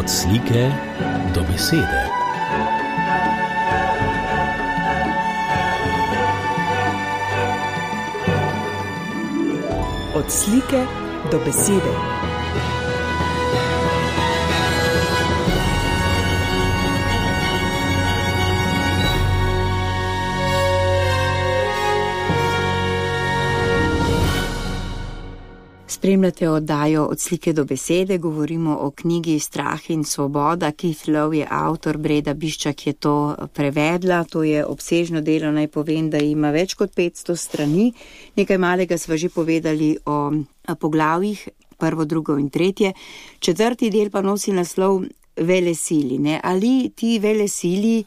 Od slike do besede. Od slike do besede. Spremljate oddajo Od slike do besede, govorimo o knjigi Strah in svoboda. Keith Lowe je avtor, Breda Biščak je to prevedla. To je obsežno delo, naj povem, da ima več kot 500 strani. Nekaj malega sva že povedali o poglavjih, 1., 2. in 3. 4. del pa nosi naslov Velesili. Ali ti velesili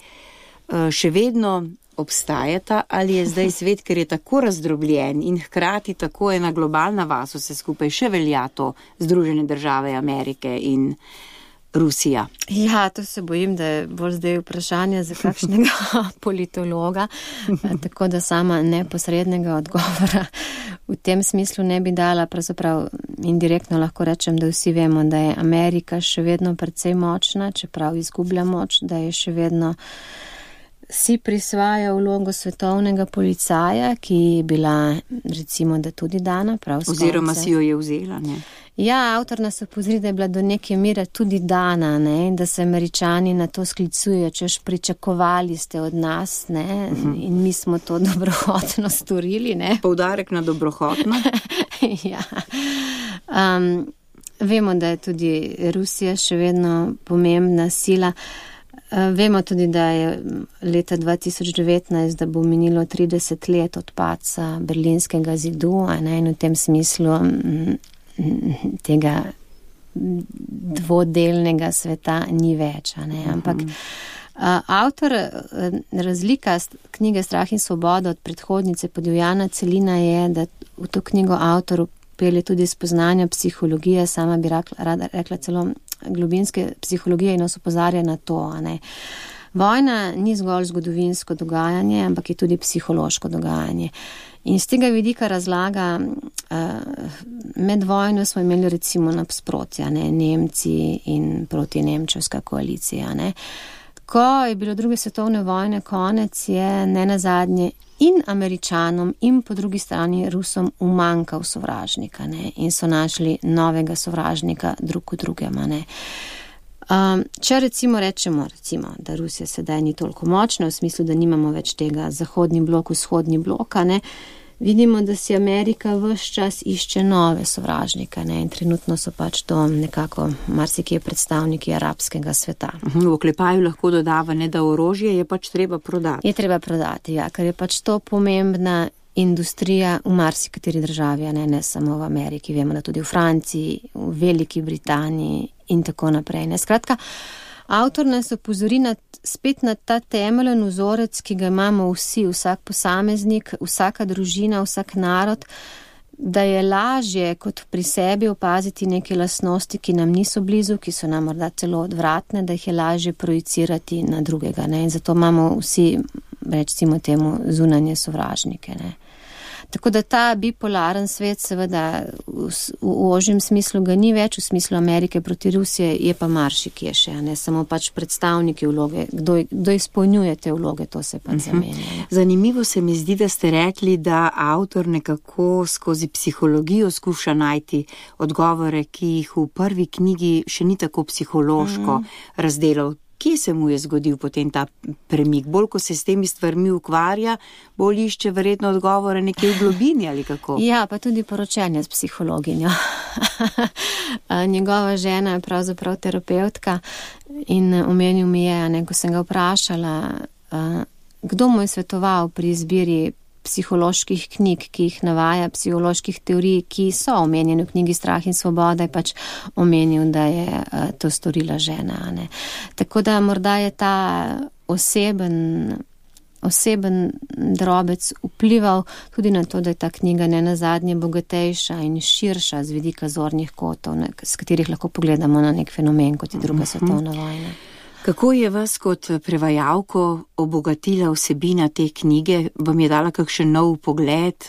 še vedno obstajata, ali je zdaj svet, ker je tako razdrobljen in hkrati tako ena globalna vas, vse skupaj še velja to Združene države Amerike in Rusija? Ja, to se bojim, da je bolj zdaj vprašanje za kakšnega politologa, tako da sama neposrednega odgovora v tem smislu ne bi dala. Pravzaprav indirektno lahko rečem, da vsi vemo, da je Amerika še vedno precej močna, čeprav izgublja moč, da je še vedno si prisvaja vlogo svetovnega policaja, ki je bila, recimo, da tudi dana prav skonce. Oziroma si jo je vzela, ne? Ja, avtor nas opozori, da je bila do neke mere tudi dana, ne, in da se Američani na to sklicujejo, češ pričakovali ste od nas, ne, in mi smo to dobrohotno storili, ne. Poudarek na dobrohotno? Ja. Vemo, da je tudi Rusija še vedno pomembna sila. Vemo tudi, da je leta 2019, da bo minilo 30 let od padca Berlinskega zidu, in v tem smislu tega dvodelnega sveta ni več. Ampak avtor, razlika knjige Strah in svoboda od predhodnice Podivjana celina je, da v to knjigo avtor pelje tudi spoznanja psihologije, sama bi rada rekla celo globinske psihologije, in nas opozarja na to. Vojna ni zgolj zgodovinsko dogajanje, ampak je tudi psihološko dogajanje. In z tega vidika razlaga, med vojno smo imeli recimo nasprotja, Nemci in protinemčevska koalicija. Ko je bilo druge svetovne vojne konec, je nenazadnje in Američanom in po drugi strani Rusom umanjkal sovražnika, in so našli novega sovražnika drug v drugem. Če recimo rečemo, da Rusija sedaj ni toliko močna, v smislu, da nimamo več tega zahodni blok, vzhodni blok, vidimo, da si Amerika ves čas išče nove sovražnike, in trenutno so pač to nekako marsikje predstavniki arabskega sveta. V oklepaju lahko dodava, da orožje je pač treba prodati. Je treba prodati, ja, ker je pač to pomembna industrija v marsikateri državi, ne samo v Ameriki. Vemo, da tudi v Franciji, v Veliki Britaniji in tako naprej. Skratka, avtor nas opozori spet na ta temeljen vzorec, ki ga imamo vsi, vsak posameznik, vsaka družina, vsak narod, da je lažje kot pri sebi opaziti neke lastnosti, ki nam niso blizu, ki so nam morda celo odvratne, da jih je lažje projicirati na drugega. In zato imamo vsi, recimo temu, zunanje sovražnike. Tako da ta bipolaren svet seveda v ožjem smislu ga ni več, v smislu Amerike proti Rusije je pa marsikje še, ne samo pač predstavniki vloge, kdo izpolnjuje te vloge, to se pa zamenja. Zanimivo se mi zdi, da ste rekli, da avtor nekako skozi psihologijo skuša najti odgovore, ki jih v prvi knjigi še ni tako psihološko razdelal. Kje se mu je zgodil potem ta premik? Bolj, ko se s temi stvarmi ukvarja, bolj išče verjetno odgovore nekje v globini ali kako? Ja, pa tudi poročanje s psihologinjo. Njegova žena je pravzaprav terapeutka in omenil mi je, ko sem ga vprašala, kdo mu je svetoval pri izbiri psiholoških knjig, ki jih navaja, psiholoških teorij, ki so omenjene v knjigi Strah in svoboda, je pač omenil, da je to storila žena. Tako da morda je ta oseben drobec vplival tudi na to, da je ta knjiga nenazadnje bogatejša in širša z vidika zornih kotov, s katerih lahko pogledamo na nek fenomen, kot je druga svetovna vojna. Kako je vas kot prevajalko obogatila vsebina te knjige? Vam je dala kakšen nov pogled,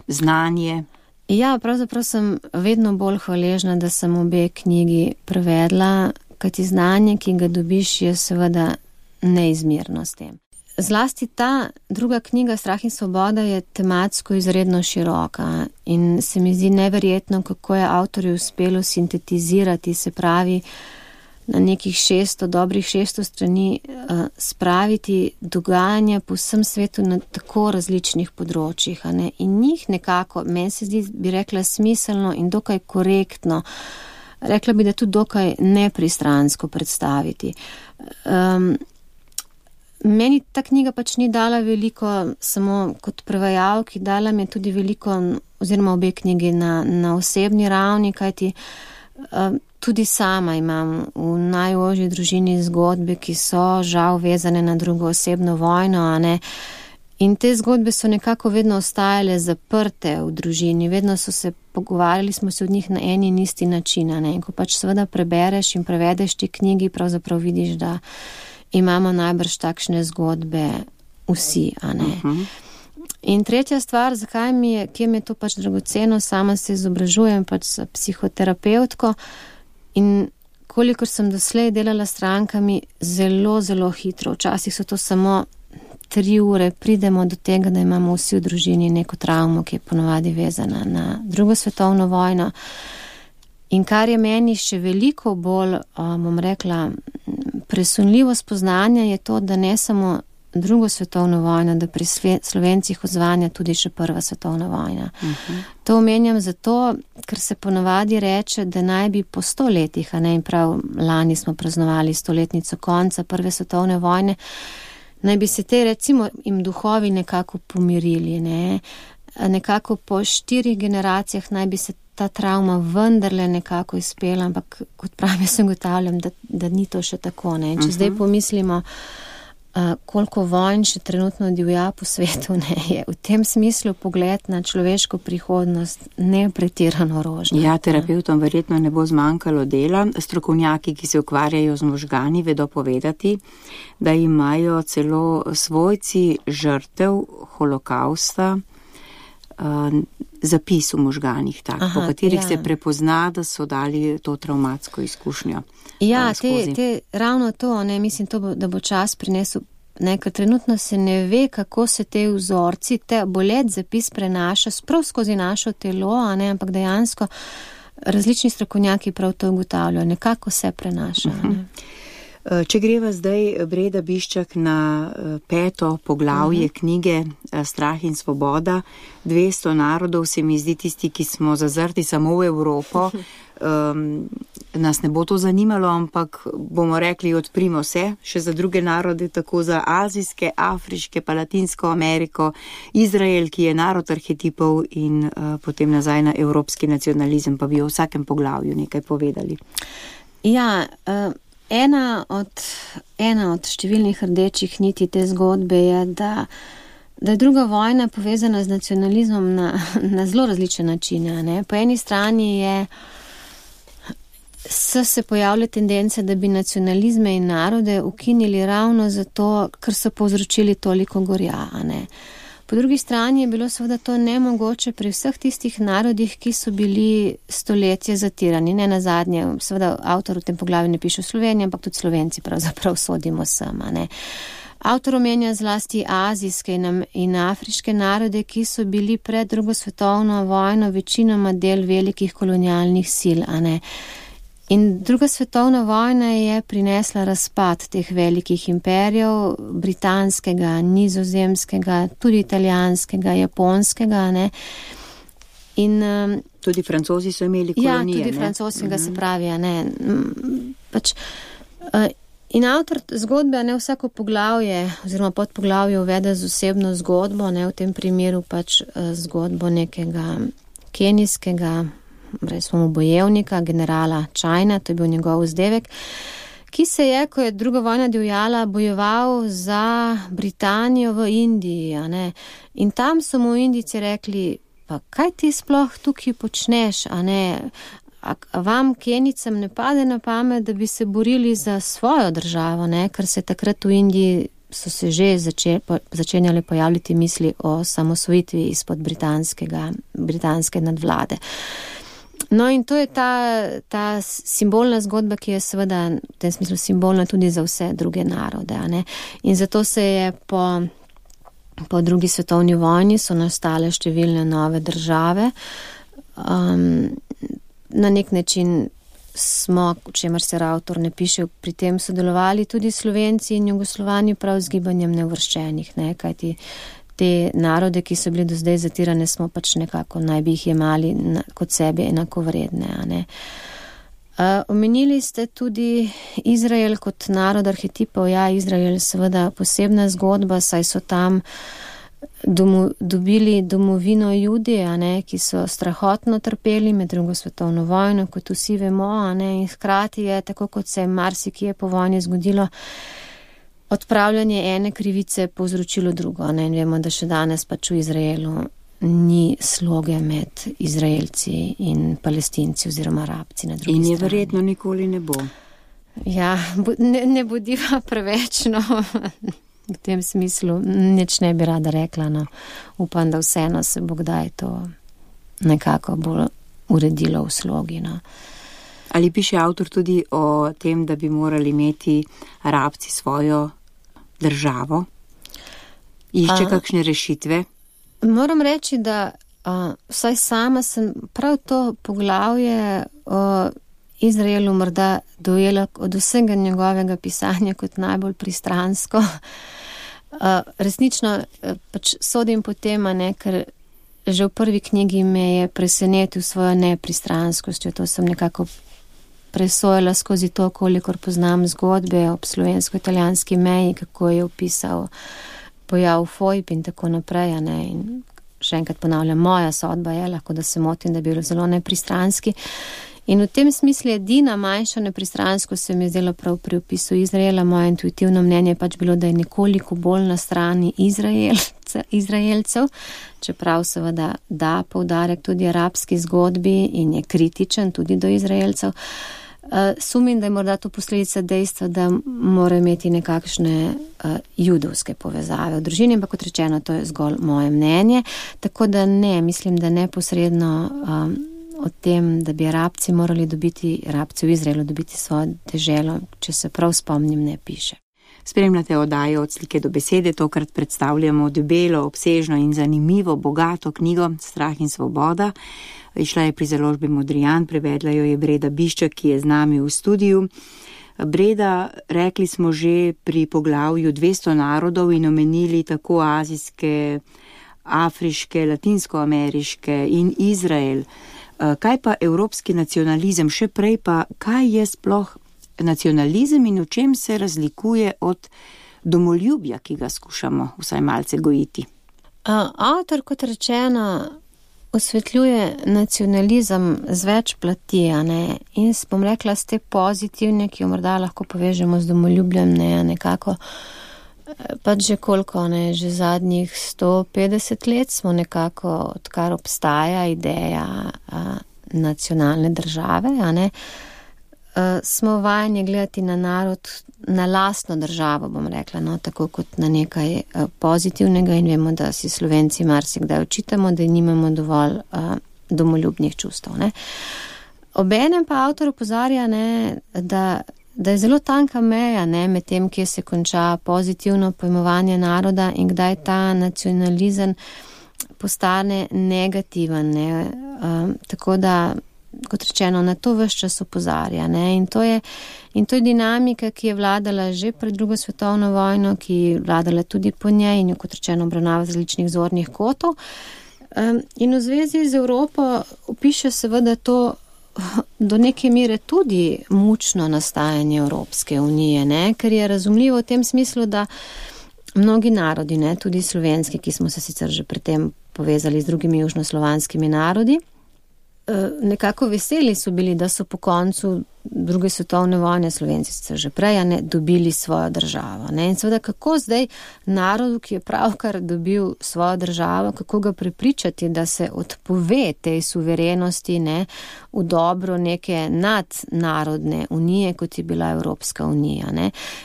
znanje? Ja, pravzaprav sem vedno bolj hvaležna, da sem obe knjigi prevedla, kajti znanje, ki ga dobiš, je seveda neizmerno s tem. Zlasti ta druga knjiga Strah in svoboda je tematsko izredno široka in se mi zdi neverjetno, kako je avtorju uspelo sintetizirati, se pravi, na nekih 600, dobrih 600 strani spraviti dogajanja po vsem svetu na tako različnih področjih. In njih nekako, meni se zdi, bi rekla, smiselno in dokaj korektno, rekla bi, da tudi dokaj nepristransko predstaviti. Meni ta knjiga pač ni dala veliko samo kot prevajalki, dala mi je tudi veliko, oziroma obe knjigi na osebni ravni, kajti tudi sama imam v najožji družini zgodbe, ki so žal vezane na drugo osebno vojno, in te zgodbe so nekako vedno ostajale zaprte v družini, vedno pogovarjali smo se od njih na eni in isti način, in ko pač seveda prebereš in prevedeš ti knjigi, pravzaprav vidiš, da imamo najbrž takšne zgodbe vsi, In tretja stvar, kje mi je to pač dragoceno, sama se izobražujem pač s psihoterapevtko in kolikor sem doslej delala s strankami, zelo, zelo hitro, včasih so to samo 3 ure, pridemo do tega, da imamo vsi v družini neko travmo, ki je ponovadi vezana na drugo svetovno vojno. In kar je meni še veliko bolj, bom rekla, presunljivo spoznanje, je to, da ne samo drugo svetovno vojno, da pri Slovencih odzvanja tudi še prva svetovna vojna. To omenjam zato, ker se ponovadi reče, da naj bi po 100 letih, in prav lani smo praznovali 100-letnico konca prve svetovne vojne, naj bi se te, recimo, jim duhovi nekako pomirili, nekako po 4 generacijah naj bi se ta travma vendarle nekako izpela, ampak kot pravim, se ugotavljam, da ni to še tako. Če zdaj pomislimo, koliko vojn še trenutno divja po svetu, je v tem smislu pogled na človeško prihodnost nepretirano rožnato. Ja, terapeutom verjetno ne bo zmanjkalo dela. Strokovnjaki, ki se ukvarjajo z možgani, vedo povedati, da imajo celo svojci žrtev holokausta zapis v možganih, po katerih se prepozna, da so dali to travmatsko izkušnjo. Ja, ravno to, mislim, da bo čas prinesel, ker trenutno se ne ve, kako se te vzorci, te bolet zapis prenaša sprav skozi našo telo, ampak dejansko različni strokovnjaki prav to ugotavljajo, nekako se prenaša. Če greva zdaj, Breda Biščak, na 5. poglavje knjige Strah in svoboda, 200 narodov, se mi zdi tisti, ki smo zazrti samo v Evropo, nas ne bo to zanimalo, ampak bomo rekli, odprimo se še za druge narode, tako za azijske, afriške, pa Latinsko Ameriko, Izrael, ki je narod arhetipov, in potem nazaj na evropski nacionalizem, pa bi o vsakem poglavju nekaj povedali. Ja, Ena od številnih rdečih niti te zgodbe je, da je druga vojna povezana z nacionalizmom na zelo različne načine. Po eni strani so se pojavile tendence, da bi nacionalizme in narode ukinili ravno zato, ker so povzročili toliko gorja. Po drugi strani je bilo seveda to nemogoče pri vseh tistih narodih, ki so bili stoletja zatirani. Ne nazadnje, seveda avtor v tem poglavju ne piše o Sloveniji, ampak tudi Slovenci pravzaprav sodimo sem. Avtor omenja zlasti azijske in afriške narode, ki so bili pred drugo svetovno vojno večinoma del velikih kolonialnih sil. In druga svetovna vojna je prinesla razpad teh velikih imperijev, britanskega, nizozemskega, tudi italijanskega, japonskega. In tudi Francozi so imeli kolonije. Ja, tudi francoskega se pravi. In avtor zgodbe vsako poglavje oziroma podpoglavje uvede z osebno zgodbo, v tem primeru pač zgodbo nekega kenijskega bojevnika, generala China, to je bil njegov vzdevek, ki se je, ko je druga vojna divjala, bojeval za Britanijo v Indiji. In tam so mu Indijci rekli, pa kaj ti sploh tukaj počneš? Vam Kenijcem ne pade na pamet, da bi se borili za svojo državo, ker se takrat v Indiji so se že začenjale pojavljati misli o samosvojitvi izpod britanske nadvlade. No in to je ta simbolna zgodba, ki je seveda v tem smislu simbolna tudi za vse druge narode. Ne? In zato se je po drugi svetovni vojni so nastale številne nove države. Na nek način smo, o čemer se avtor ne piše, pri tem sodelovali tudi Slovenci in Jugoslovani prav z gibanjem neuvrščenih, ne? Kajti te narode, ki so bili do zdaj zatirane, smo pač nekako naj bi jih jemali kot sebi enakovredne. A ne? Omenili ste tudi Izrael kot narod arhetipov. Ja, Izrael seveda posebna zgodba, saj so tam dobili domovino Judi, a ne, ki so strahotno trpeli med drugo svetovno vojno, kot vsi vemo, a ne, in hkrati je, tako kot se marsikje po vojni zgodilo, odpravljanje ene krivice povzročilo drugo, ne, in vemo, da še danes pač v Izraelu ni sloge med Izraelci in Palestinci oziroma Arabci na drugi strani. In je verjetno nikoli ne bo. Ja, ne bodiva preveč, no. V tem smislu nič ne bi rada rekla, no. Upam, da vseeno se bo kdaj to nekako bolj uredilo v slogi, no. Ali piše avtor tudi o tem, da bi morali imeti Arabci svojo državo? Išče kakšne rešitve? Moram reči, da vsaj sama sem prav to poglavje o Izraelu morda dojela od vsega njegovega pisanja kot najbolj pristransko. Resnično pač sodim po tem, ne, ker že v prvi knjigi me je presenetil svojo nepristranskostjo. To sem nekako presojala skozi to, kolikor poznam zgodbe ob slovensko-italijanski meji, kako je opisal pojav fojb in tako naprej. Ne. In še enkrat ponavljam, moja sodba je, lahko da se motim, da bi bilo zelo nepristranski. In v tem smislu edina manjša nepristransko se mi je zdelo prav pri opisu Izraela. Moje intuitivno mnenje je pač bilo, da je nekoliko bolj na strani Izraelcev, čeprav seveda da poudarek tudi arabski zgodbi in je kritičen tudi do Izraelcev. Sumim, da je morda to posledica dejstva, da mora imeti nekakšne judovske povezave v družini, ampak kot rečeno, to je zgolj moje mnenje. Tako da ne, mislim, da neposredno o tem, da bi Arabci morali dobiti, Arabci v Izraelu dobiti svojo deželo, če se prav spomnim, ne piše. Spremljate oddajo Od slike do besede, tokrat predstavljamo debelo, obsežno in zanimivo, bogato knjigo Strah in svoboda. Išla je pri založbi Modrijan, prevedla jo je Breda Biščak, ki je z nami v studiu. Breda, rekli smo že pri poglavju 200 narodov in omenili tako azijske, afriške, latinskoameriške in Izrael. Kaj pa evropski nacionalizem, še prej pa, kaj je sploh nacionalizem in v čem se razlikuje od domoljubja, ki ga skušamo vsaj malce gojiti? Avtor, kot rečeno, osvetljuje nacionalizem z več plati, ne? In bom rekla, z te pozitivne, ki jo morda lahko povežemo z domoljubljem, ne, nekako pač že koliko, ne, že zadnjih 150 let smo nekako, odkar obstaja ideja nacionalne države, ne, smo vajeni gledati na narod, na lastno državo, bom rekla, no, tako kot na nekaj pozitivnega, in vemo, da si Slovenci marsikdaj očitamo, da nimamo dovolj domoljubnih čustev, ne. Obenem pa avtor opozarja, ne, da je zelo tanka meja, ne, med tem, kje se konča pozitivno pojmovanje naroda in kdaj ta nacionalizem postane negativen, ne. Tako da, kot rečeno, na to ves čas opozarja, ne. In to je dinamika, ki je vladala že pred drugo svetovno vojno, ki je vladala tudi po njej in jo, kot rečeno, obravnava z različnih zornih kotov. In v zvezi z Evropo opiše seveda to do neke mere tudi mučno nastajanje Evropske unije, ne, ker je razumljivo v tem smislu, da mnogi narodi, ne, tudi slovenski, ki smo se sicer že predtem povezali z drugimi južnoslovanskimi narodi, nekako veseli so bili, da so po koncu druge svetovne vojne, Slovenci so že prej, dobili svojo državo. In seveda, kako zdaj narodu, ki je pravkar dobil svojo državo, kako ga prepričati, da se odpove tej suverenosti v dobro neke nadnarodne unije, kot je bila Evropska unija.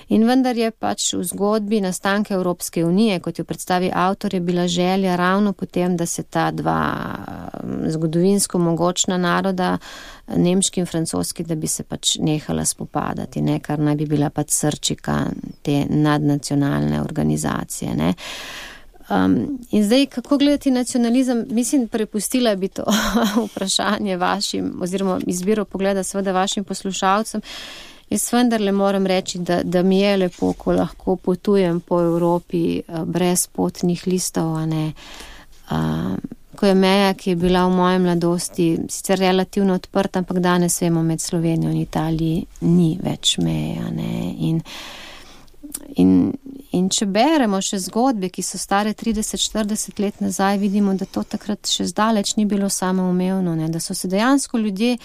In vendar je pač v zgodbi nastanka Evropske unije, kot jo predstavi avtor, je bila želja ravno potem, da se ta dva zgodovinsko mogočna naroda, nemški in francoski, da bi se pač nehala spopadati, kar naj bi bila pač srčika te nadnacionalne organizacije. In zdaj, kako gledati nacionalizem? Mislim, prepustila bi to vprašanje vašim, oziroma izbiro pogleda seveda vašim poslušalcem. Jaz vendarle moram reči, da mi je lepo, ko lahko potujem po Evropi brez potnih listov, ko je meja, ki je bila v moji mladosti sicer relativno odprta, ampak danes vemo, med Slovenijo in Italiji ni več meja. In če beremo še zgodbe, ki so stare 30-40 let nazaj, vidimo, da to takrat še zdaleč ni bilo samoumevno, da so se dejansko ljudje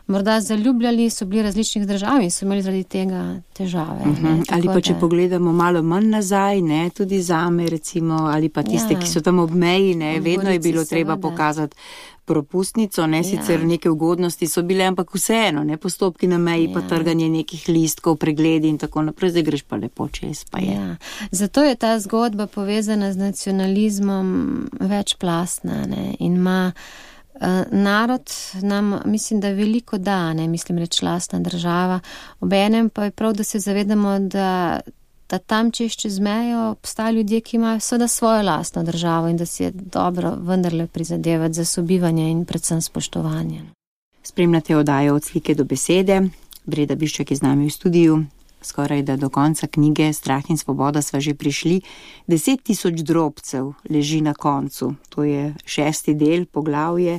morda zaljubljali, so bili različnih držav in so imeli zaradi tega težave. Ali pa če pogledamo malo manj nazaj, tudi zame recimo, ali pa tiste, ki so tam ob meji, vedno je bilo treba pokazati propustnico, sicer neke ugodnosti so bile, ampak vseeno, postopki na meji, pa trganje nekih listkov, pregledi in tako naprej, zdaj greš pa lepo čez, pa je. Zato je ta zgodba povezana z nacionalizmom večplastna, in ima narod nam, mislim, da veliko da, mislim reči lastna država, obenem pa je prav, da se zavedamo, da tam čez mejo obstajajo ljudje, ki imajo seveda svojo lastno državo in da si je dobro vendarle prizadevati za sobivanje in predvsem spoštovanje. Spremljate oddajo Od slike do besede. Breda Biščak je z nami v studiu. Skoraj da do konca knjige Strah in svoboda sva že prišli. 10.000 drobcev leži na koncu. To je 6. del, poglavje.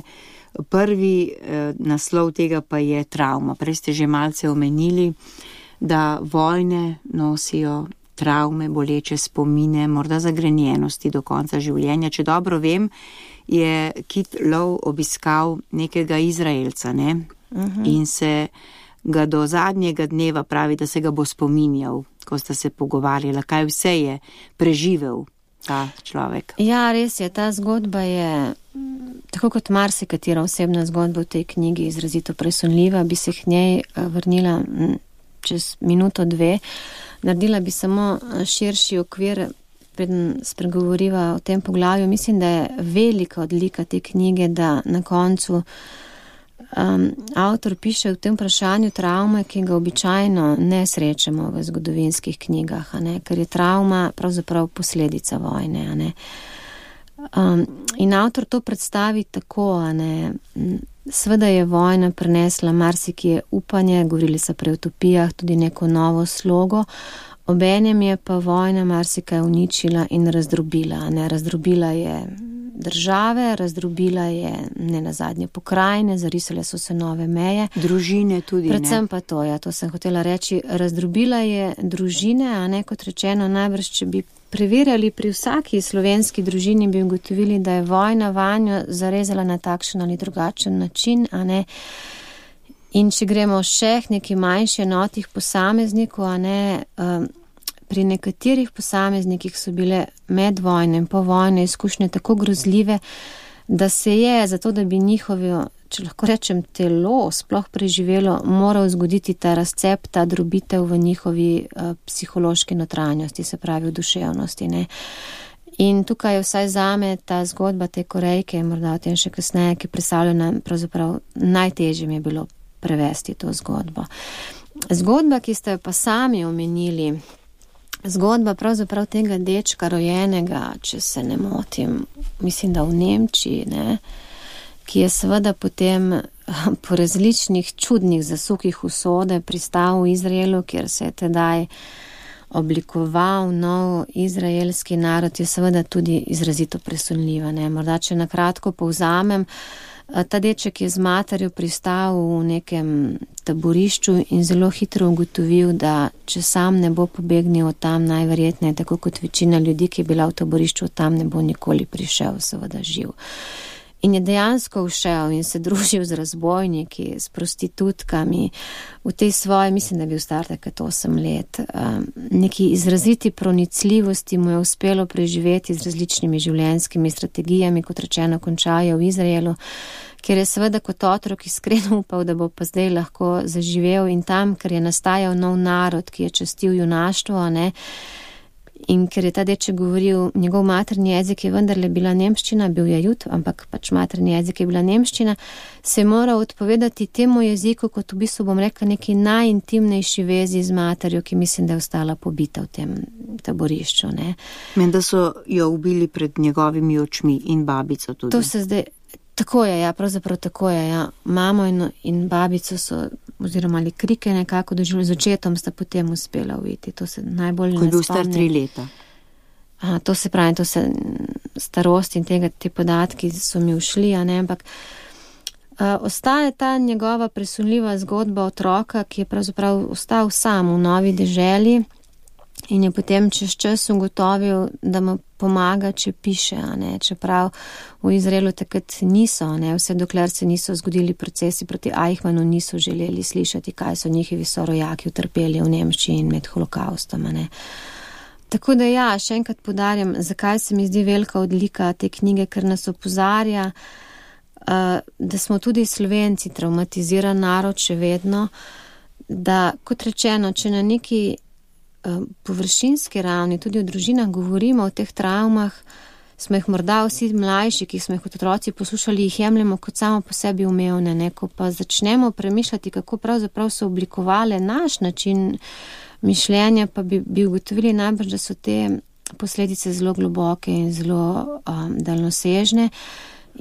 Prvi naslov tega pa je travma. Prej ste že malce omenili, da vojne nosijo travme, boleče spomine, morda zagrenjenosti do konca življenja. Če dobro vem, je Kit Lowe obiskal nekega Izraelca, in se ga do zadnjega dneva pravi, da se ga bo spominjal, ko sta se pogovarjala, kaj vse je preživel ta človek. Ja, res je, ta zgodba je, tako kot marsikatera osebna zgodba v tej knjigi, izrazito presunljiva, bi se k njej vrnila čez minuto, dve. Naredila bi samo širši okvir, preden spregovoriva o tem poglavju. Mislim, da je velika odlika te knjige, da na koncu avtor piše v tem vprašanju travme, ki ga običajno ne srečamo v zgodovinskih knjigah, ker je travma pravzaprav posledica vojne. In avtor to predstavi tako, seveda je vojna prinesla marsikje upanje, govorili so prej o utopijah, tudi neko novo slogo, obenem je pa vojna marsikaj uničila in razdrobila. Razdrobila je države, razdrobila je nenazadnje pokrajine, zarisale so se nove meje. Družine tudi, predvsem pa to sem hotela reči, razdrobila je družine, kot rečeno, najbrž, če bi preverjali pri vsaki slovenski družini, bi ugotovili, da je vojna vanjo zarezala na takšen ali drugačen način, In če gremo še k neki manjši enotih posameznikov, pri nekaterih posameznikih so bile med vojne in po vojne izkušnje tako grozljive, da se je, zato da bi njihovo, če lahko rečem, telo sploh preživelo, moral zgoditi ta razcep, ta drobitev v njihovi psihološki notranjosti, se pravi v duševnosti. In tukaj je vsaj zame ta zgodba te Korejke, morda o tem še kasneje, ki predstavlja nam pravzaprav najtežje mi je bilo prevesti to zgodbo. Zgodba, ki ste jo pa sami omenili, zgodba pravzaprav tega dečka rojenega, če se ne motim, mislim, da v Nemčiji, ki je seveda potem po različnih čudnih zasukih usode pristal v Izraelu, kjer se je tedaj oblikoval nov izraelski narod, je seveda tudi izrazito presunljiva. Morda, če na kratko povzamem, ta deček je z materjo pristal v nekem taborišču in zelo hitro ugotovil, da če sam ne bo pobegnil od tam, najverjetneje, tako kot večina ljudi, ki je bila v taborišču, od tam ne bo nikoli prišel, seveda živ. In je dejansko všel in se družil z razbojniki, s prostitutkami, v tej svoje, mislim, da je bil star takrat 8 let, neki izraziti pronicljivosti mu je uspelo preživeti z različnimi življenjskimi strategijami, kot rečeno, končajo v Izraelu, kjer je seveda kot otrok iskreno upal, da bo pa zdaj lahko zaživel in tam, ker je nastajal nov narod, ki je častil junaštvo, ne, in ker je ta deček govoril, njegov materni jezik je vendarle bila nemščina, bil je Jud, ampak pač materni jezik je bila nemščina, se je moral odpovedati temu jeziku, kot v bistvu bom rekla neki najintimnejši vezi z materjo, ki mislim, da je ostala pobita v tem taborišču. Ne. Menda so jo ubili pred njegovimi očmi in babico tudi. To se zdaj, tako je, ja, pravzaprav tako je, ja. Mamo in babico so, oziroma ali krike nekako doživljali, z očetom sta potem uspela uviti. To se najbolj ne spomni. Ko je bil star 3 leta. To se pravi, to se starost in te podatki so mi ušli, a ne, ampak ostaje ta njegova presunljiva zgodba otroka, ki je pravzaprav ostal sam v novi deželi in je potem čez čas ugotovil, da mu pomaga, če piše, a ne, čeprav v Izraelu takrat niso, a ne, vse dokler se niso zgodili procesi proti Eichmannu, niso želeli slišati, kaj so njihovi sorojaki utrpeli v Nemčiji in med holokaustom, a ne. Tako da ja, še enkrat poudarjam, zakaj se mi zdi velika odlika te knjige, ker nas opozarja, da smo tudi Slovenci traumatiziran narod še vedno, da, kot rečeno, če na neki površinski ravni, tudi v družinah govorimo o teh travmah, smo jih morda vsi mlajši, ki smo jih kot otroci poslušali, jih jemljemo kot samo po sebi umevne, ne, ko pa začnemo premišljati, kako pravzaprav so oblikovale naš način mišljenja, pa bi ugotovili najbrž, da so te posledice zelo globoke in zelo daljnosežne.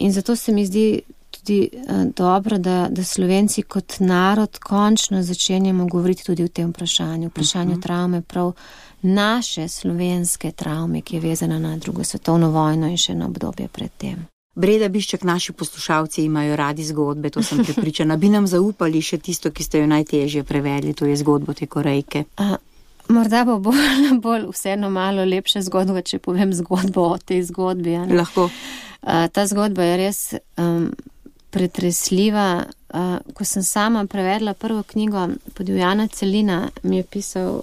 In zato se mi zdi tudi dobro, da Slovenci kot narod končno začenjamo govoriti tudi o tem vprašanju travme, prav naše slovenske travme, ki je vezana na 2. svetovno vojno in še na obdobje predtem. Breda Biščak, naši poslušalci imajo radi zgodbe, to sem prepričana. Bi nam zaupali še tisto, ki ste jo najtežje prevedli, to je zgodbo te Korejke. Morda bo bolj vseeno malo lepša zgodba, če povem zgodbo o tej zgodbi. Lahko. Ta zgodba je res pretresljiva. Ko sem sama prevedla prvo knjigo Podivjana celina, mi je pisal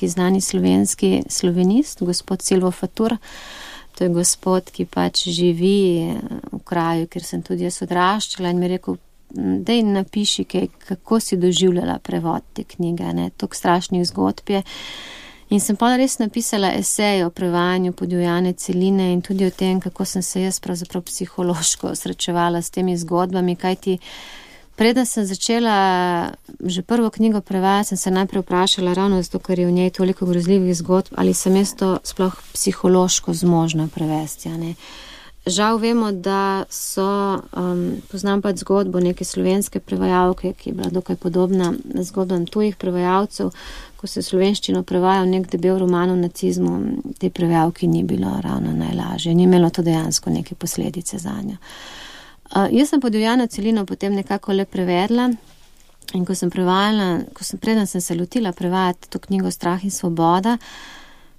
znani slovenski slovenist, gospod Silvo Fatur. To je gospod, ki pač živi v kraju, kjer sem tudi jaz odraščala in mi je rekel, daj napiši, kako si doživljala prevod te knjige, ne, toliko strašnih zgodb je. In sem pa res napisala esej o prevajanju Podivjane celine in tudi o tem, kako sem se jaz pravzaprav psihološko srečevala s temi zgodbami, kajti preden sem začela že prvo knjigo prevajati, sem se najprej vprašala ravno zato, ker je v njej toliko grozljivih zgodb, ali sem jaz to sploh psihološko zmožna prevesti, ne. Žal vemo, da poznam pač zgodbo neke slovenske prevajalke, ki je bila dokaj podobna zgodbam tujih prevajalcev. Ko se slovenščino prevajal nek debel roman o nacizmu, tej prevajalki ni bilo ravno najlažje. Ni imelo to dejansko neke posledice zanjo. Jaz sem Podivjano celino potem nekako le prevedla in ko sem prevajala, preden sem se lotila prevajati to knjigo Strah in svoboda,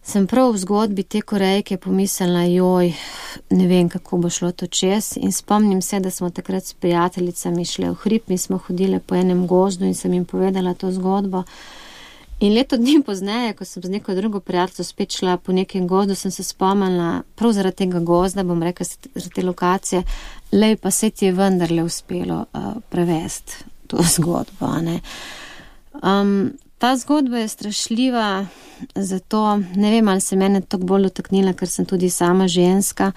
sem prav v zgodbi te Korejke pomislila, ne vem, kako bo šlo to čez, in spomnim se, da smo takrat s prijateljicami šle v hrib, mi smo hodile po enem gozdu in sem jim povedala to zgodbo. In leto dni pozneje, ko sem z neko drugo prijateljico spet šla po nekem gozdu, sem se spomnila prav zaradi tega gozda, bom rekla, zaradi te lokacije, pa se ti je vendarle uspelo prevesti to zgodbo, ne. Ta zgodba je strašljiva, zato ne vem, ali se mene tako bolj dotaknila, ker sem tudi sama ženska.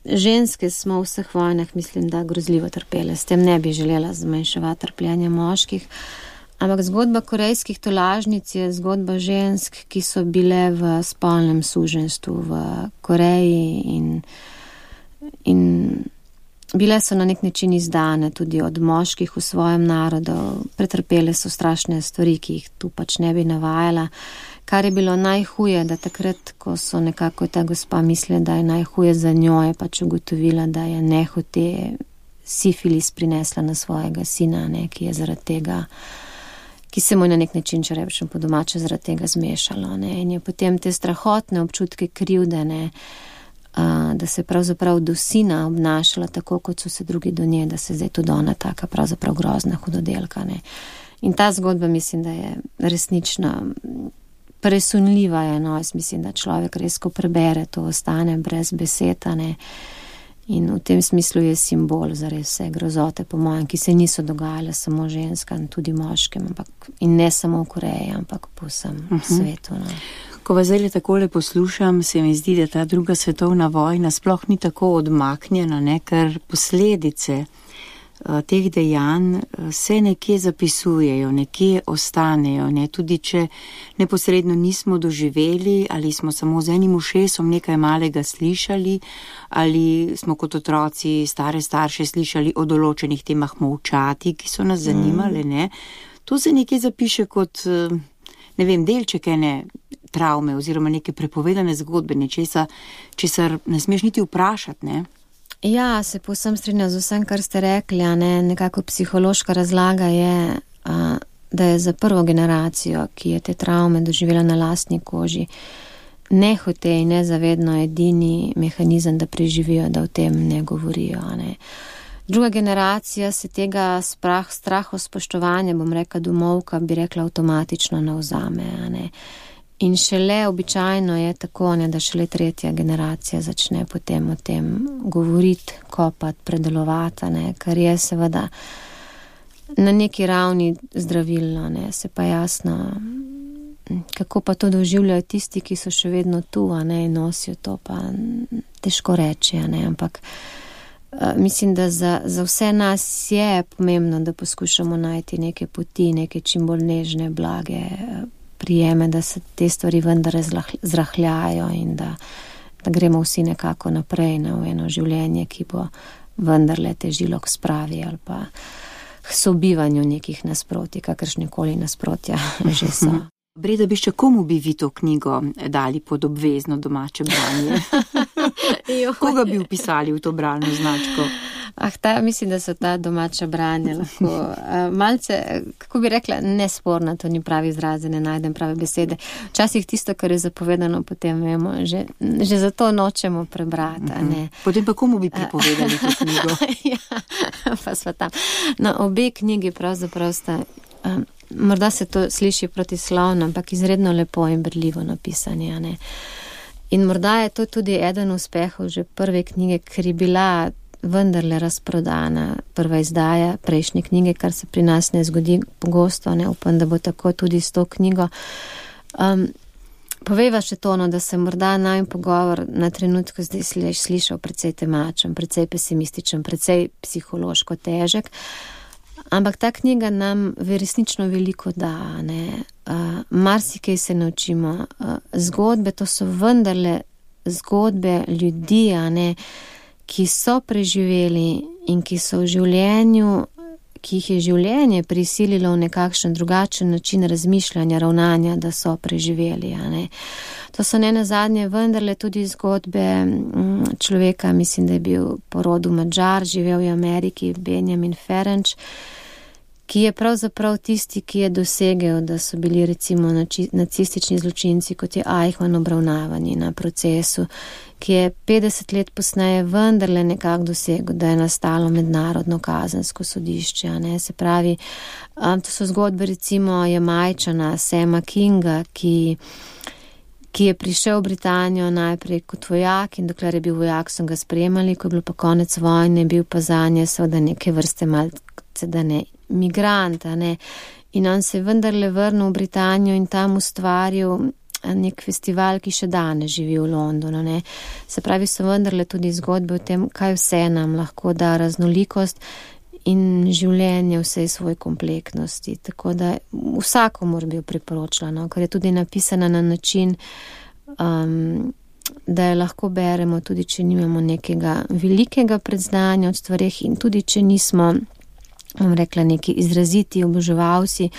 Ženske smo v vseh vojnah, mislim, da grozljivo trpele. S tem ne bi želela zmanjševati trpljenja moških. Ampak zgodba korejskih tolažnic je zgodba žensk, ki so bile v spolnem suženjstvu v Koreji in bile so na nek način izdane tudi od moških v svojem narodu, pretrpele so strašne stvari, ki jih tu pač ne bi navajala. Kar je bilo najhuje, da takrat, ko so nekako ta gospa mislila, da je najhuje za njo, je pač ugotovila, da je nehote sifilis prinesla na svojega sina, ne, ki je zaradi tega, ki se mu je na nek način, če rečem po domače, zaradi tega zmešalo. Ne, in je potem te strahotne občutke krivde, ne, da se pravzaprav do sina obnašala tako, kot so se drugi do nje, da se zdaj tudi ona taka pravzaprav grozna hudodelka, ne. In ta zgodba mislim, da je resnično presunljiva, je, no, jaz mislim, da človek res, ko prebere, to ostane brez besed, ne. In v tem smislu je simbol za res vse grozote, po mojem, ki se niso dogajale samo ženskam, tudi moškim, ampak in ne samo v Koreji, ampak po vsem svetu. No. Ko vas zdaj takole poslušam, se mi zdi, da ta druga svetovna vojna sploh ni tako odmaknjena, ne, ker posledice teh dejanj se nekje zapisujejo, nekje ostanejo, ne, tudi če neposredno nismo doživeli ali smo samo z enim ušesom nekaj malega slišali ali smo kot otroci stare starše slišali o določenih temah molčati, ki so nas zanimale, ne, to se nekje zapiše kot, ne vem, delček ene travme oziroma neke prepovedane zgodbe, nečesa, česar ne smeš niti vprašati, ne. Ja, se povsem strinjam z vsem, kar ste rekli, ne, nekako psihološka razlaga je, da je za prvo generacijo, ki je te travme doživela na lastni koži, nehote in nezavedno edini mehanizem, da preživijo, da o tem ne govorijo, ne. Druga generacija se tega strahospoštovanja, bom rekla domovka, bi rekla avtomatično navzame, ne. In šele običajno je tako, ne, da šele tretja generacija začne potem o tem govoriti, kopati, predelovati, ne, kar je seveda na neki ravni zdravilno, ne, se pa jasno, kako pa to doživljajo tisti, ki so še vedno tu, ne, in nosijo to, pa težko reči, ne, ampak mislim, da za vse nas je pomembno, da poskušamo najti neke poti, neke čim bolj nežne, blage prijeme, da se te stvari vendar zrahljajo in da gremo vsi nekako naprej na eno življenje, ki bo vendarle težilo k spravi ali pa k sobivanju nekih nasprotij, kakršnekoli nasprotja že so. Breda Biščak, komu bi vi to knjigo dali pod obvezno domače branje? Koga bi vpisali v to bralno značko? Mislim, da so ta domača branja lahko malce, kako bi rekla, nesporna, to ni pravi izraz, ne najdem prave besede. Včasih tisto, kar je zapovedano, potem vemo, že zato nočemo prebrati, ne. Potem pa komu bi pripovedali to knjigo? Ja, pa sva tam. No, obe knjigi pravzaprav sta, morda se to sliši protislovno, ampak izredno lepo in berljivo napisanje, ne. In morda je to tudi eden uspehov že prve knjige, ker je bila vendarle razprodana prva izdaja prejšnje knjige, kar se pri nas ne zgodi pogosto, ne, upam, da bo tako tudi s to knjigo. Povejva še to, da se morda najin pogovor na trenutku zdaj slišal precej temačen, precej pesimističen, precej psihološko težek, ampak ta knjiga nam resnično veliko da, ne. Marsikaj se naučimo. Zgodbe, to so vendarle zgodbe ljudi, ne, ki so preživeli in ki so v življenju, ki jih je življenje prisililo v nekakšen drugačen način razmišljanja, ravnanja, da so preživeli, ne. To so nenazadnje vendarle tudi zgodbe človeka, mislim, da je bil po rodu Madžar, živel v Ameriki, Benjamin Ferenc, ki je pravzaprav tisti, ki je dosegel, da so bili recimo nacistični zločinci, kot je Eichmann, obravnavani na procesu, ki je 50 let posneje vendarle nekako dosegel, da je nastalo mednarodno kazensko sodišče, ne. Se pravi, to so zgodbe recimo Jamajčana, Sama Kinga, ki je prišel v Britanijo najprej kot vojak in dokler je bil vojak, so ga sprejemali, ko je bilo pa konec vojne, bil pa zanje seveda neke vrste malce, da ne migrant, ne. In on se je vendarle vrnil v Britanijo in tam ustvaril nek festival, ki še danes živi v Londonu, ne. Se pravi, so vendarle tudi zgodbe o tem, kaj vse nam lahko da raznolikost in življenje vsej svoj kompleksnosti. Tako da vsakomur bi jo priporočila, no, ker je tudi napisana na način, da jo lahko beremo, tudi če nimamo nekega velikega predznanja od stvareh in tudi če nismo, bom rekla, neki izraziti oboževalci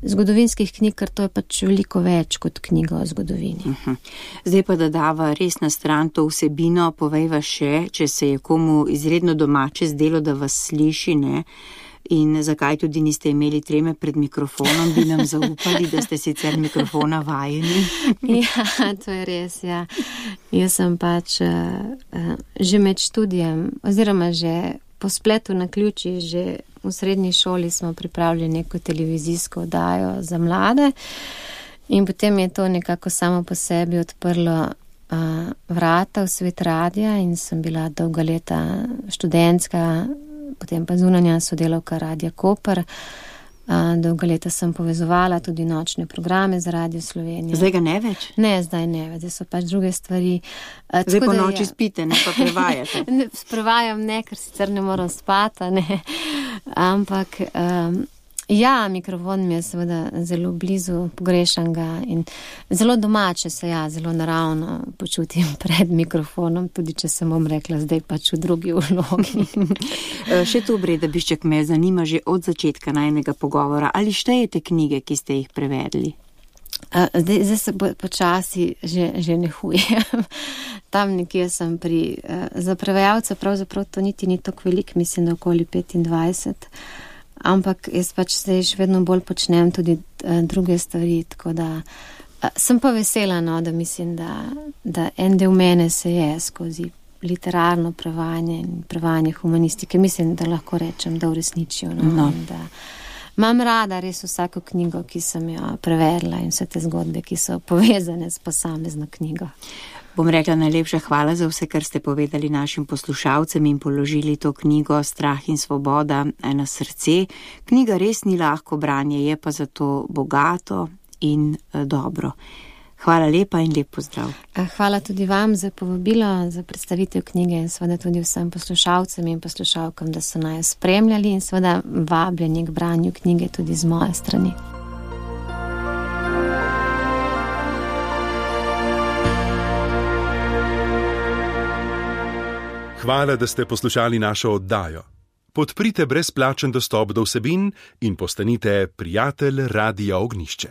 zgodovinskih knjig, ker to je pač veliko več kot knjiga o zgodovini. Zdaj pa da dava res na stran to vsebino, povejva še, če se je komu izredno domače zdelo, da vas sliši, ne, In zakaj tudi niste imeli treme pred mikrofonom, bi nam zaupali, da ste sicer mikrofona vajeni? Ja, to je res, ja. Jaz sem pač že med študijem, oziroma že po spletu na ključi, že v srednji šoli smo pripravili neko televizijsko oddajo za mlade in potem je to nekako samo po sebi odprlo vrata v svet radija in sem bila dolga leta študentska, potem pa zunanja sodelavka Radia Koper. Dolga leta sem povezovala tudi nočne programe za Radio Slovenija. Zdaj ga ne več? Ne, zdaj ne več, zdaj so pač druge stvari. Zdaj po noči spite, ne pa prevajate? Prevajam ne, ker sicer ne moram spati, ne. Ampak ja, mikrofon mi je seveda zelo blizu, pogrešam ga in zelo domače se zelo naravno počutim pred mikrofonom, tudi če sem vam rekla, zdaj pač v drugi vlogi. Še to, Breda Biščak, me zanima že od začetka najnega pogovora. Ali štejete knjige, ki ste jih prevedli? Zdaj se počasi že nehujem. Tam nekje sem za prevajalce pravzaprav to niti ni tako velik, mislim, da okoli 25. Ampak jaz pač zdaj še vedno bolj počnem tudi druge stvari, tako da sem pa vesela, no, da mislim, da en del mene se je skozi literarno prevajanje in prevajanje humanistike, mislim, da lahko rečem, da uresničijo. No. Da imam rada res vsako knjigo, ki sem jo prevedla in vse te zgodbe, ki so povezane s posamezno knjigo. Bom rekla najlepša hvala za vse, kar ste povedali našim poslušalcem in položili to knjigo Strah in svoboda na srce. Knjiga res ni lahko branje, je pa zato bogato in dobro. Hvala lepa in lep pozdrav. Hvala tudi vam za povabilo, za predstavitev knjige in seveda tudi vsem poslušalcem in poslušalkam, da so naju spremljali in seveda vabljeni k branju knjige tudi z moje strani. Hvala, da ste poslušali našo oddajo. Podprite brezplačen dostop do vsebin in postanite prijatelj Radia Ognjišče.